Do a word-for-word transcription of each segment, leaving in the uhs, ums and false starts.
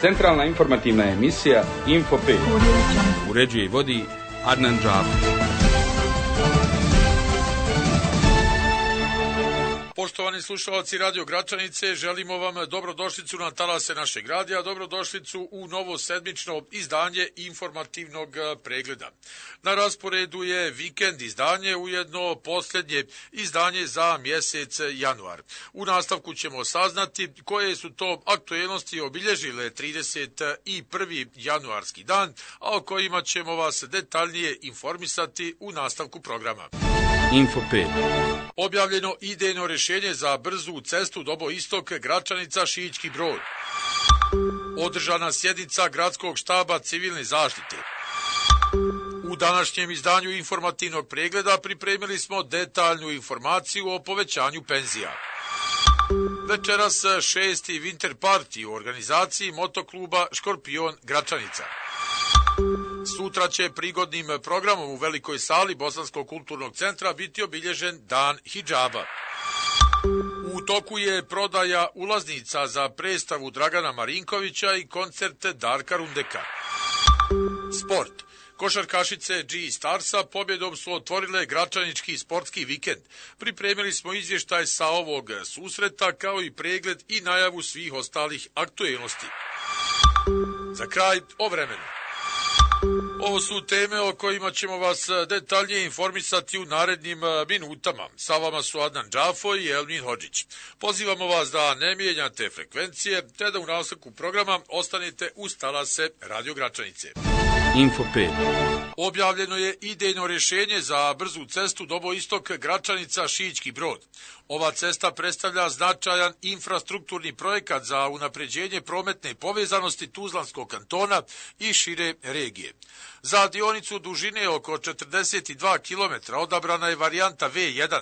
Centralna informativna emisija Info pet. Uređuje i vodi Adnan Džafer. Poštovani slušalci Radio Gračanice, želimo vam dobrodošlicu na talase našeg radija, dobrodošlicu u novo sedmično izdanje informativnog pregleda. Na rasporedu je vikend izdanje, ujedno posljednje izdanje za mjesec januar. U nastavku ćemo saznati koje su to aktuelnosti obilježile trideset prvi januarski dan, a o kojima ćemo vas detaljnije informisati u nastavku programa. Info pet. Objavljeno idejno rješenje za brzu cestu Dobo-Istok Gračanica-Šiićki Brod. Održana sjednica Gradskog štaba civilne zaštite. U današnjem izdanju informativnog pregleda pripremili smo detaljnu informaciju o povećanju penzija. Večeras šesti Winter Party u organizaciji motokluba Škorpion Gračanica. Sutra će prigodnim programom u velikoj sali Bosanskog kulturnog centra biti obilježen Dan hidžaba. U toku je prodaja ulaznica za predstavu Dragana Marinkovića i koncert Darka Rundeka. Sport. Košarkašice G Starsa pobjedom su otvorile Gračanički sportski vikend. Pripremili smo izvještaj sa ovog susreta kao i pregled i najavu svih ostalih aktuelnosti. Za kraj o vremenu. Ovo su teme o kojima ćemo vas detaljnije informisati u narednim minutama. Sa vama su Adnan Džafo i Elmin Hodžić. Pozivamo vas da ne mijenjate frekvencije, te da u nastavku programa ostanete uz talase Radio Gračanice. Info pet. Objavljeno je idejno rješenje za brzu cestu Dobo-Istok Gračanica-Šiićki Brod. Ova cesta predstavlja značajan infrastrukturni projekat za unapređenje prometne povezanosti Tuzlanskog kantona i šire regije. Za dionicu dužine oko četrdeset dva kilometra odabrana je varijanta V jedan.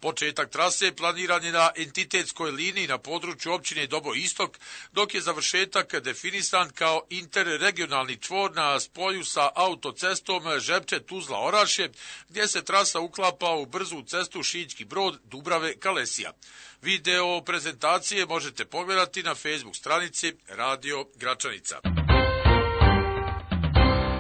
Početak trase planiran je na entitetskoj liniji na području općine Dobo-Istok, dok je završetak definisan kao interregionalni čvor na spoju sa autocestom Žepče-Tuzla-Orašje, gdje se trasa uklapa u brzu cestu Šiićki Brod Dubrave-Kalesija. Video prezentacije možete pogledati na Facebook stranici Radio Gračanica.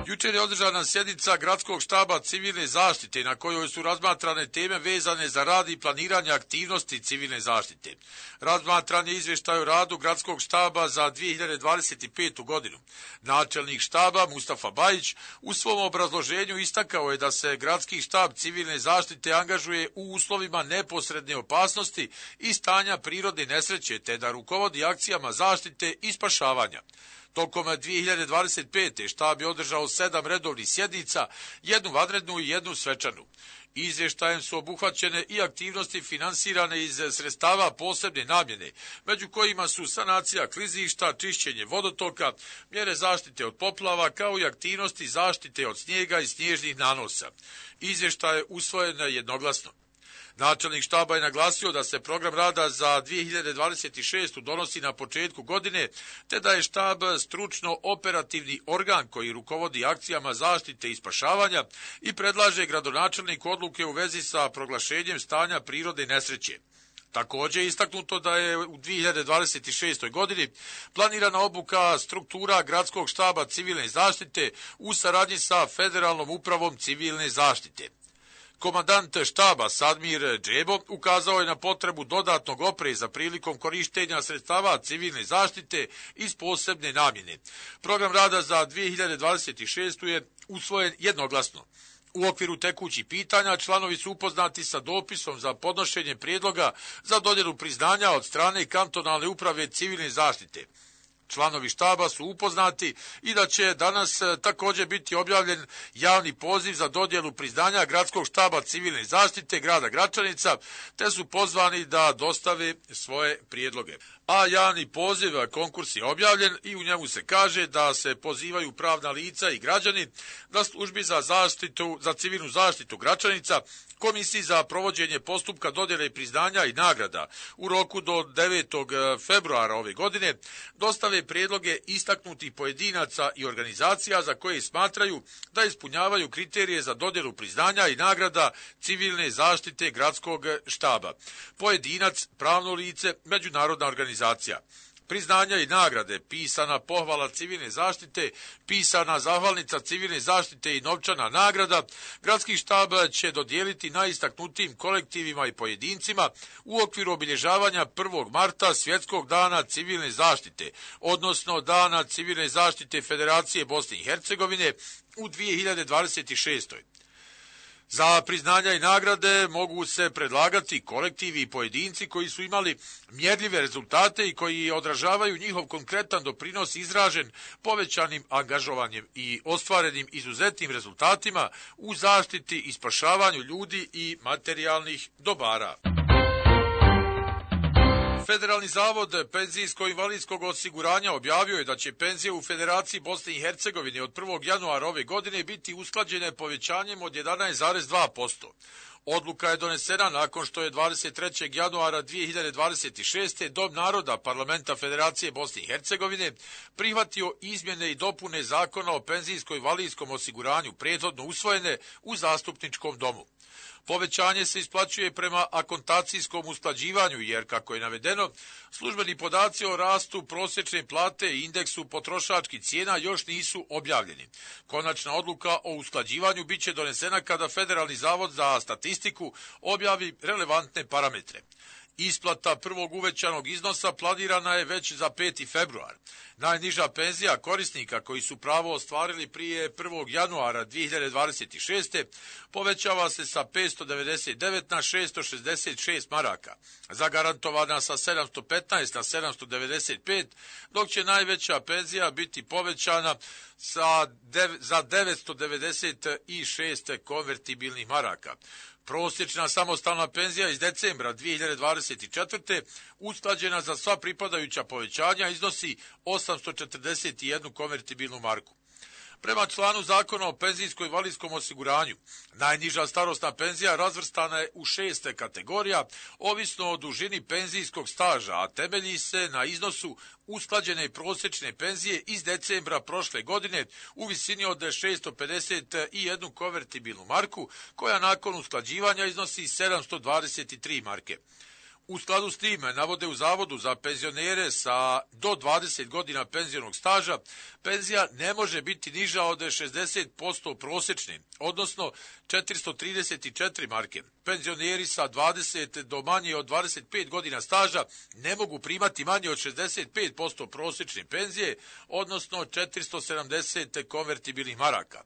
Jučer je održana sjednica Gradskog štaba civilne zaštite na kojoj su razmatrane teme vezane za rad i planiranje aktivnosti civilne zaštite. Razmatran je izvještaj o radu Gradskog štaba za dvije hiljade dvadeset petu. godinu. Načelnik štaba Mustafa Bajić u svom obrazloženju istakao je da se Gradski štab civilne zaštite angažuje u uslovima neposredne opasnosti i stanja prirodne nesreće, te da rukovodi akcijama zaštite i spašavanja. Tokom dvije hiljade dvadeset pete. štab je održao sedam redovnih sjednica, jednu vanrednu i jednu svečanu. Izvještajem su obuhvaćene i aktivnosti finansirane iz sredstava posebne namjene, među kojima su sanacija klizišta, čišćenje vodotoka, mjere zaštite od poplava, kao i aktivnosti zaštite od snijega i snježnih nanosa. Izvještaj je usvojen jednoglasno. Načelnik štaba je naglasio da se program rada za dvije hiljade dvadeset šestu. donosi na početku godine, te da je štab stručno operativni organ koji rukovodi akcijama zaštite i spašavanja i predlaže gradonačelniku odluke u vezi sa proglašenjem stanja prirode nesreće. Također je istaknuto da je u dvije hiljade dvadeset šestoj. godini planirana obuka struktura Gradskog štaba civilne zaštite u saradnji sa Federalnom upravom civilne zaštite. Komandant štaba Sadmir Džebo ukazao je na potrebu dodatnog opreza prilikom korištenja sredstava civilne zaštite iz posebne namjene. Program rada za dvije hiljade dvadeset šestu. je usvojen jednoglasno. U okviru tekućih pitanja članovi su upoznati sa dopisom za podnošenje prijedloga za dodjelu priznanja od strane kantonalne uprave civilne zaštite. Članovi štaba su upoznati i da će danas također biti objavljen javni poziv za dodjelu priznanja Gradskog štaba civilne zaštite grada Gračanica, te su pozvani da dostave svoje prijedloge. A javni poziv, konkurs je objavljen i u njemu se kaže da se pozivaju pravna lica i građani da službi za zaštitu, za civilnu zaštitu Gračanica, Komisiji za provođenje postupka dodjele priznanja i nagrada u roku do devetog februara ove godine dostave prijedloge istaknutih pojedinaca i organizacija za koje smatraju da ispunjavaju kriterije za dodjelu priznanja i nagrada civilne zaštite Gradskog štaba. Pojedinac, pravno lice, međunarodna organizacija. priznanja i nagrade, pisana pohvala civilne zaštite, pisana zahvalnica civilne zaštite i novčana nagrada, gradski štab će dodijeliti najistaknutijim kolektivima i pojedincima u okviru obilježavanja prvog marta Svjetskog dana civilne zaštite, odnosno Dana civilne zaštite Federacije Bosne i Hercegovine u dvije hiljade dvadeset šestoj. Za priznanja i nagrade mogu se predlagati kolektivi i pojedinci koji su imali mjerljive rezultate i koji odražavaju njihov konkretan doprinos izražen povećanim angažovanjem i ostvarenim izuzetnim rezultatima u zaštiti i spašavanju ljudi i materijalnih dobara. Federalni zavod penzijsko-invalidskog osiguranja objavio je da će penzije u Federaciji Bosne i Hercegovine od prvog januara ove godine biti usklađene povećanjem od jedanaest zarez dva posto. Odluka je donesena nakon što je dvadeset trećeg januara dvije hiljade dvadeset šeste. Dom naroda Parlamenta Federacije Bosne i Hercegovine prihvatio izmjene i dopune Zakona o penzijsko-invalidskog osiguranju prethodno usvojene u Zastupničkom domu. Povećanje se isplaćuje prema akontacijskom usklađivanju jer, kako je navedeno, službeni podaci o rastu prosječne plate i indeksu potrošačkih cijena još nisu objavljeni. Konačna odluka o usklađivanju biće donesena kada Federalni zavod za statistiku objavi relevantne parametre. Isplata prvog uvećanog iznosa planirana je već za peti februar. Najniža penzija korisnika koji su pravo ostvarili prije prvog januara dvije hiljade dvadeset šeste. povećava se sa petsto devedeset devet na šesto šezdeset šest maraka, zagarantovana sa sedamsto petnaest na sedamsto devedeset pet, dok će najveća penzija biti povećana sa dev, za devetsto devedeset šest konvertibilnih maraka. Prosječna samostalna penzija iz decembra dvije hiljade dvadeset četvrte. usklađena za sva pripadajuća povećanja iznosi osamsto četrdeset jednu konvertibilnu marku. Prema članu Zakona o penzijsko-invalidskom osiguranju, najniža starosna penzija razvrstana je u šest kategorija, ovisno o dužini penzijskog staža, a temelji se na iznosu usklađene prosječne penzije iz decembra prošle godine u visini od šesto pedeset jednu konvertibilnu marku, koja nakon usklađivanja iznosi sedamsto dvadeset tri marke. U skladu s tim, navode u Zavodu za penzionere sa do dvadeset godina penzionog staža, penzija ne može biti niža od šezdeset posto prosječne, odnosno četiristo trideset četiri marke. Penzioneri sa dvadeset do manje od dvadeset pet godina staža ne mogu primati manje od šezdeset pet posto prosječne penzije, odnosno četiristo sedamdeset konvertibilnih maraka.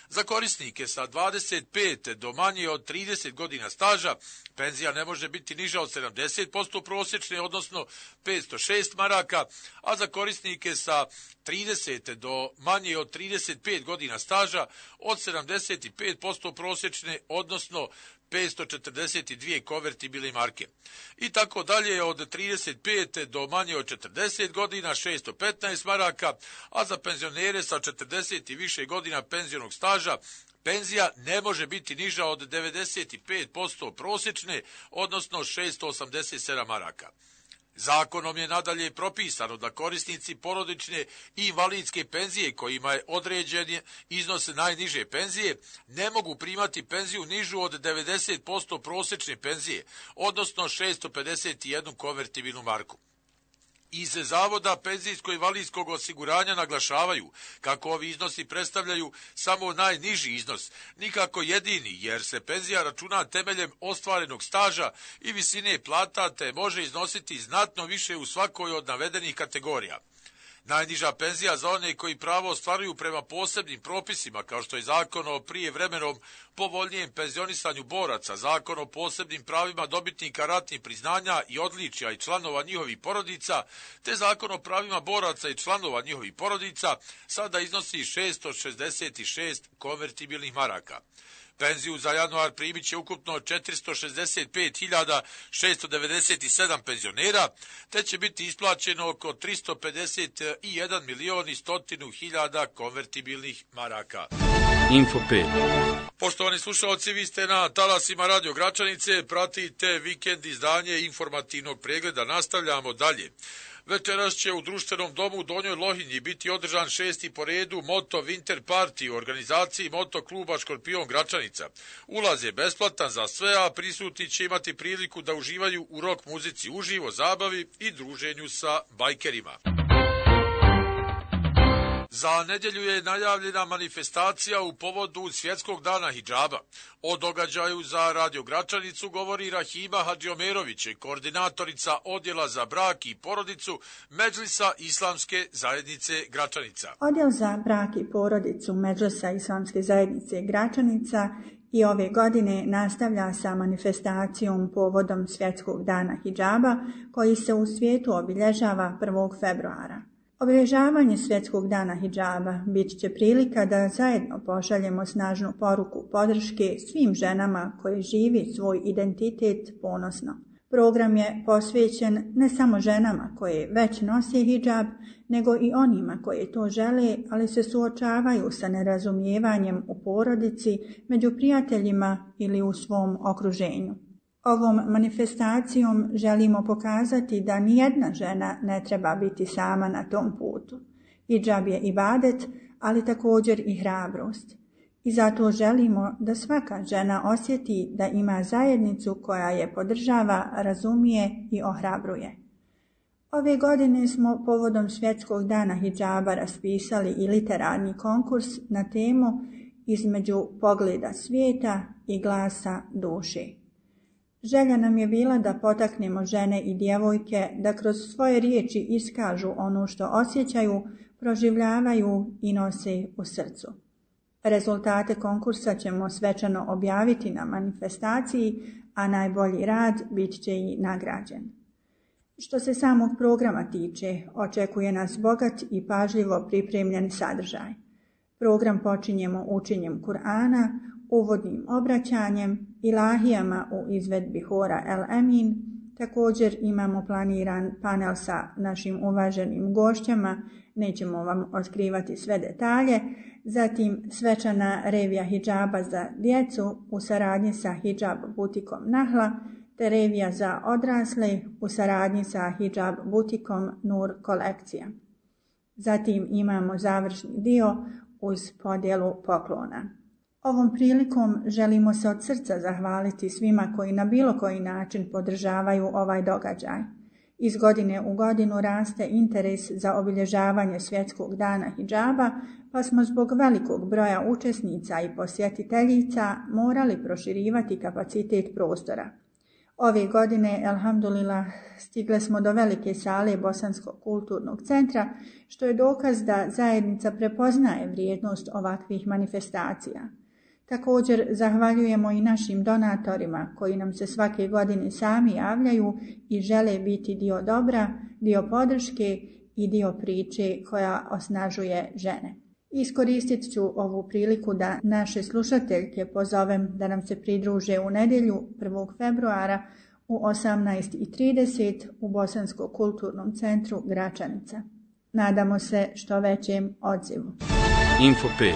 Za korisnike sa dvadeset pet do manje od trideset godina staža, penzija ne može biti niža od sedamdeset posto prosječne, odnosno petsto šest maraka, a za korisnike sa trideset do manje od trideset pet godina staža od sedamdeset pet posto prosječne, odnosno petsto četrdeset dvije konvertibilne marke. I tako dalje od trideset pet do manje od četrdeset godina šesto petnaest maraka, a za penzionere sa četrdeset i više godina penzionog staža penzija ne može biti niža od devedeset pet posto prosječne, odnosno šesto osamdeset sedam maraka. Zakonom je nadalje propisano da korisnici porodične i invalidske penzije kojima je određen iznos najniže penzije ne mogu primati penziju nižu od devedeset posto prosječne penzije, odnosno šesto pedeset jednu konvertibilnu marku. Iz Zavoda penzijsko-invalidskog osiguranja naglašavaju kako ovi iznosi predstavljaju samo najniži iznos, nikako jedini, jer se penzija računa temeljem ostvarenog staža i visine plata, te može iznositi znatno više u svakoj od navedenih kategorija. Najniža penzija za one koji pravo ostvaruju prema posebnim propisima, kao što je Zakon o prijevremenom povoljnijem penzionisanju boraca, Zakon o posebnim pravima dobitnika ratnih priznanja i odličja i članova njihovih porodica, te Zakon o pravima boraca i članova njihovih porodica, sada iznosi šesto šezdeset šest konvertibilnih maraka. Penziju za januar primit će ukupno četiristo šezdeset pet hiljada šesto devedeset sedam penzionera, te će biti isplaćeno oko tristo pedeset jedan milion i stotinu hiljada konvertibilnih maraka. Info pet. Poštovani slušalci, vi ste na talasima Radio Gračanice, pratite vikend izdanje informativnog pregleda, nastavljamo dalje. Večeras će u društvenom domu u Donjoj Lohinji biti održan šesti po redu Moto Winter Party u organizaciji Moto kluba Škorpion Gračanica. Ulaz je besplatan za sve, a prisutni će imati priliku da uživaju u rock muzici uživo, zabavi i druženju sa bajkerima. Za nedjelju je najavljena manifestacija u povodu Svjetskog dana hidžaba. O događaju za Radio Gračanicu govori Rahima Hadžiomerović, koordinatorica Odjela za brak i porodicu Medžlisa Islamske zajednice Gračanica. Odjel za brak i porodicu Medžlisa Islamske zajednice Gračanica i ove godine nastavlja sa manifestacijom povodom Svjetskog dana hidžaba koji se u svijetu obilježava prvog februara. Obilježavanje Svjetskog dana hidžaba bit će prilika da zajedno pošaljemo snažnu poruku podrške svim ženama koje živi svoj identitet ponosno. Program je posvećen ne samo ženama koje već nose hidžab, nego i onima koje to žele, ali se suočavaju sa nerazumijevanjem u porodici, među prijateljima ili u svom okruženju. Ovom manifestacijom želimo pokazati da nijedna žena ne treba biti sama na tom putu. Hidžab je ibadet, ali također i hrabrost. I zato želimo da svaka žena osjeti da ima zajednicu koja je podržava, razumije i ohrabruje. Ove godine smo povodom Svjetskog dana hidžaba raspisali i literarni konkurs na temu Između pogleda svijeta i glasa duše. Želja nam je bila da potaknemo žene i djevojke da kroz svoje riječi iskažu ono što osjećaju, proživljavaju i nose u srcu. Rezultate konkursa ćemo svečano objaviti na manifestaciji, a najbolji rad bit će i nagrađen. Što se samog programa tiče, očekuje nas bogat i pažljivo pripremljen sadržaj. Program počinjemo učenjem Kur'ana, uvodnim obraćanjem, ilahijama u izvedbi hora El Emin. Također imamo planiran panel sa našim uvaženim gošćama, nećemo vam otkrivati sve detalje. Zatim svečana revija hidžaba za djecu u saradnji sa hidžab butikom Nahla, te revija za odrasle u saradnji sa hidžab butikom Nur kolekcija. Zatim imamo završni dio uz podjelu poklona. Ovom prilikom želimo se od srca zahvaliti svima koji na bilo koji način podržavaju ovaj događaj. Iz godine u godinu raste interes za obilježavanje Svjetskog dana hidžaba, pa smo zbog velikog broja učesnica i posjetiteljica morali proširivati kapacitet prostora. Ove godine, elhamdulillah, stigle smo do velike sale Bosanskog kulturnog centra, što je dokaz da zajednica prepoznaje vrijednost ovakvih manifestacija. Također zahvaljujemo i našim donatorima koji nam se svake godine sami javljaju i žele biti dio dobra, dio podrške i dio priče koja osnažuje žene. Iskoristit ću ovu priliku da naše slušateljke pozovem da nam se pridruže u nedjelju prvog februara u osamnaest i trideset u Bosanskom kulturnom centru Gračanica. Nadamo se što većem odzivu. Info pet.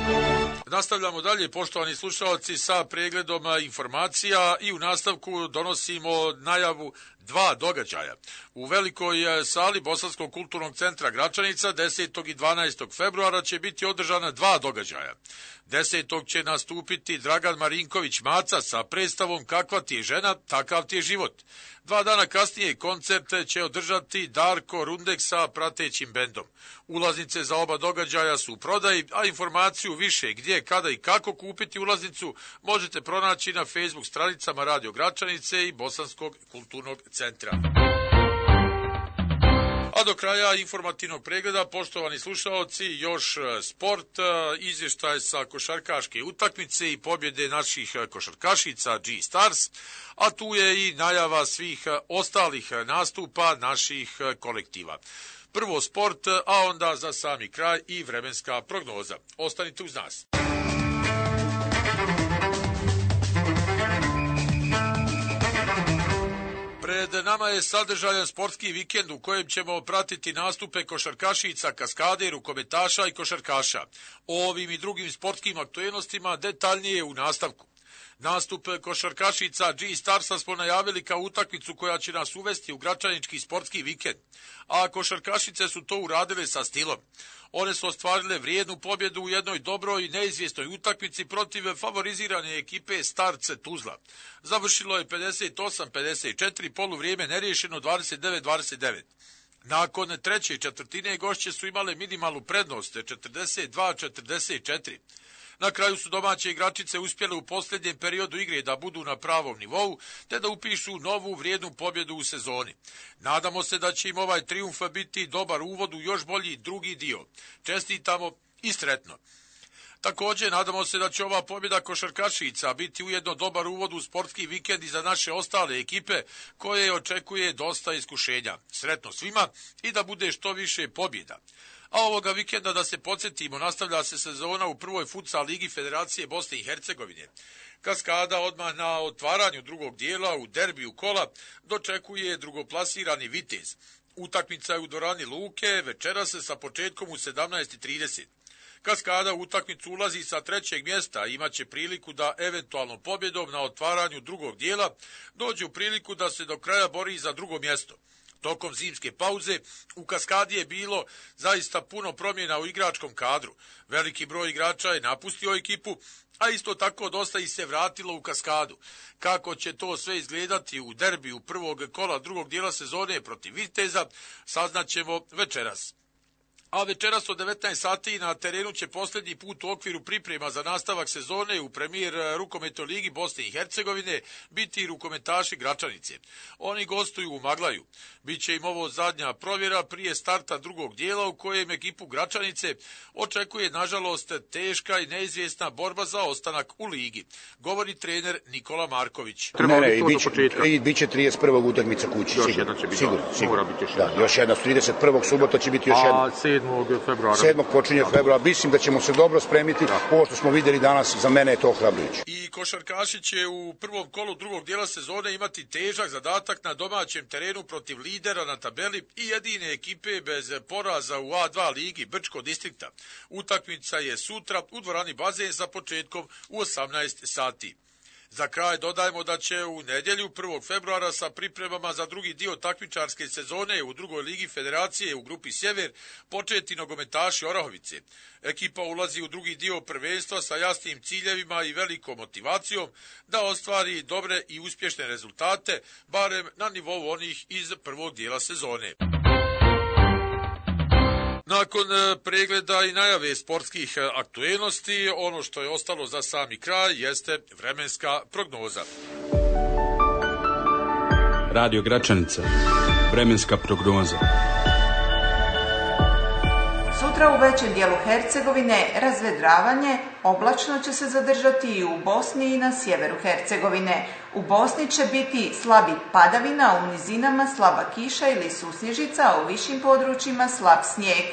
Nastavljamo dalje, poštovani slušalci, sa pregledom informacija i u nastavku donosimo najavu dva događaja. U velikoj sali Bosanskog kulturnog centra Gračanica desetog i dvanaestog februara će biti održana dva događaja. desetog će nastupiti Dragan Marinković Maca sa predstavom Kakva ti je žena, takav ti je život. Dva dana kasnije koncert će održati Darko Rundek sa pratećim bendom. Ulaznice za oba događaja su u prodaji, a informaciju više gdje, kada i kako kupiti ulaznicu možete pronaći na Facebook stranicama Radio Gračanice i Bosanskog kulturnog centra. A do kraja informativnog pregleda, poštovani slušalci, još sport, izvještaj sa košarkaške utakmice i pobjede naših košarkašica G-Stars, a tu je i najava svih ostalih nastupa naših kolektiva. Prvo sport, a onda za sami kraj i vremenska prognoza. Ostanite uz nas. Pred nama je sadržajan sportski vikend u kojem ćemo pratiti nastupe košarkašica, kaskader, rukometaša i košarkaša. O ovim i drugim sportskim aktuelnostima detaljnije u nastavku. Nastup košarkašica G-Starsa smo najavili kao utakmicu koja će nas uvesti u gračanički sportski vikend, a košarkašice su to uradile sa stilom. One su ostvarile vrijednu pobjedu u jednoj dobroj i neizvjesnoj utakmici protiv favorizirane ekipe Starce Tuzla. Završilo je pedeset osam pedeset četiri, poluvrijeme neriješeno dvadeset devet dvadeset devet. Nakon treće četvrtine gošće su imale minimalnu prednost četrdeset dva četrdeset četiri. Na kraju su domaće igračice uspjele u posljednjem periodu igre da budu na pravom nivou, te da upišu novu vrijednu pobjedu u sezoni. Nadamo se da će im ovaj trijumf biti dobar uvod u još bolji drugi dio. Čestitamo i sretno. Također, nadamo se da će ova pobjeda košarkašica biti ujedno dobar uvod u sportski vikend i za naše ostale ekipe koje očekuje dosta iskušenja. Sretno svima i da bude što više pobjeda. A ovoga vikenda, da se podsjetimo, nastavlja se sezona u prvoj futsal ligi Federacije Bosne i Hercegovine. Kaskada odmah na otvaranju drugog dijela u derbiju kola dočekuje drugoplasirani Vitez. Utakmica je u dvorani Luke, večera se sa početkom u sedamnaest i trideset. Kaskada u utakmicu ulazi sa trećeg mjesta i imat će priliku da eventualnom pobjedom na otvaranju drugog dijela dođe u priliku da se do kraja bori za drugo mjesto. Tokom zimske pauze u Kaskadi je bilo zaista puno promjena u igračkom kadru. Veliki broj igrača je napustio ekipu, a isto tako dosta ih se vratilo u Kaskadu. Kako će to sve izgledati u derbiju prvog kola drugog dijela sezone protiv Viteza, saznaćemo večeras. A večeras od devetnaest sati na terenu će posljednji put u okviru priprema za nastavak sezone u premijer rukometnoj ligi Bosne i Hercegovine biti rukometaši Gračanice. Oni gostuju u Maglaju. Biće im ovo zadnja provjera prije starta drugog dijela u kojem ekipu Gračanice očekuje nažalost teška i neizvjesna borba za ostanak u ligi, govori trener Nikola Marković. Ne, ne, i biće, i biće trideset prvog utakmica kući. Još sigurno, jedna će biti, sigurno, sigurno. mora biti još da, jedna. još jedna, trideset prvog subota će biti još A jedna. sedmog februara. sedmog počinje februara. Mislim da ćemo se dobro spremiti. Da. Ovo što smo vidjeli danas, za mene je to ohrabrujuće. I košarkaši će u prvom kolu drugog dijela sezone imati težak zadatak na domaćem terenu protiv lidera na tabeli i jedine ekipe bez poraza u A dva ligi Brčko distrikta. Utakmica je sutra u dvorani Bazen sa početkom u osamnaest sati. Za kraj dodajemo da će u nedjelju prvog februara sa pripremama za drugi dio takmičarske sezone u drugoj ligi Federacije u grupi Sjever početi nogometaši Orahovice. Ekipa ulazi u drugi dio prvenstva sa jasnim ciljevima i velikom motivacijom da ostvari dobre i uspješne rezultate, barem na nivou onih iz prvog dijela sezone. Nakon pregleda i najave sportskih aktuelnosti, ono što je ostalo za sami kraj jeste vremenska prognoza. Radio Gračanica. Vremenska prognoza. Sutra u većem dijelu Hercegovine razvedravanje, oblačno će se zadržati i u Bosni i na sjeveru Hercegovine. U Bosni će biti slabi padavina, u nizinama slaba kiša ili susnježica, a u višim područjima slab snijeg.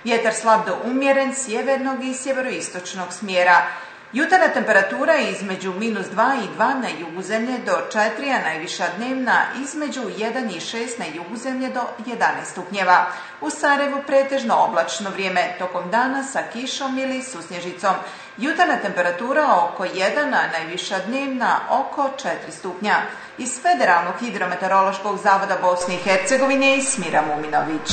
Vjetar slab do umjeren sjevernog i sjeveroistočnog smjera. Jutarnja temperatura je između minus dva i dva na jugu zemlje do četiri, a najviša dnevna između jedan i šest na jugu zemlje do jedanaest stupnjeva. U Sarajevu pretežno oblačno vrijeme, tokom dana sa kišom ili susnježicom. Jutarnja temperatura oko jedan, a najviša dnevna oko četiri stupnja. Iz Federalnog hidrometeorološkog zavoda Bosne i Hercegovine Smira Muminović.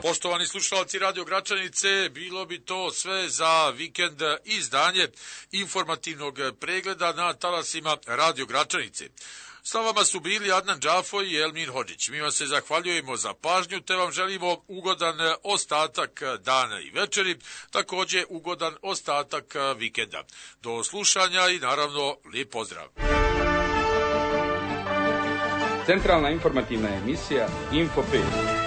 Poštovani slušalci Radio Gračanice, bilo bi to sve za vikend izdanje informativnog pregleda na talasima Radio Gračanice. Sa vama su bili Adnan Džafo i Elmin Hodžić. Mi vam se zahvaljujemo za pažnju, te vam želimo ugodan ostatak dana i večeri, također ugodan ostatak vikenda. Do slušanja i naravno lijep pozdrav. Centralna informativna emisija Info pet.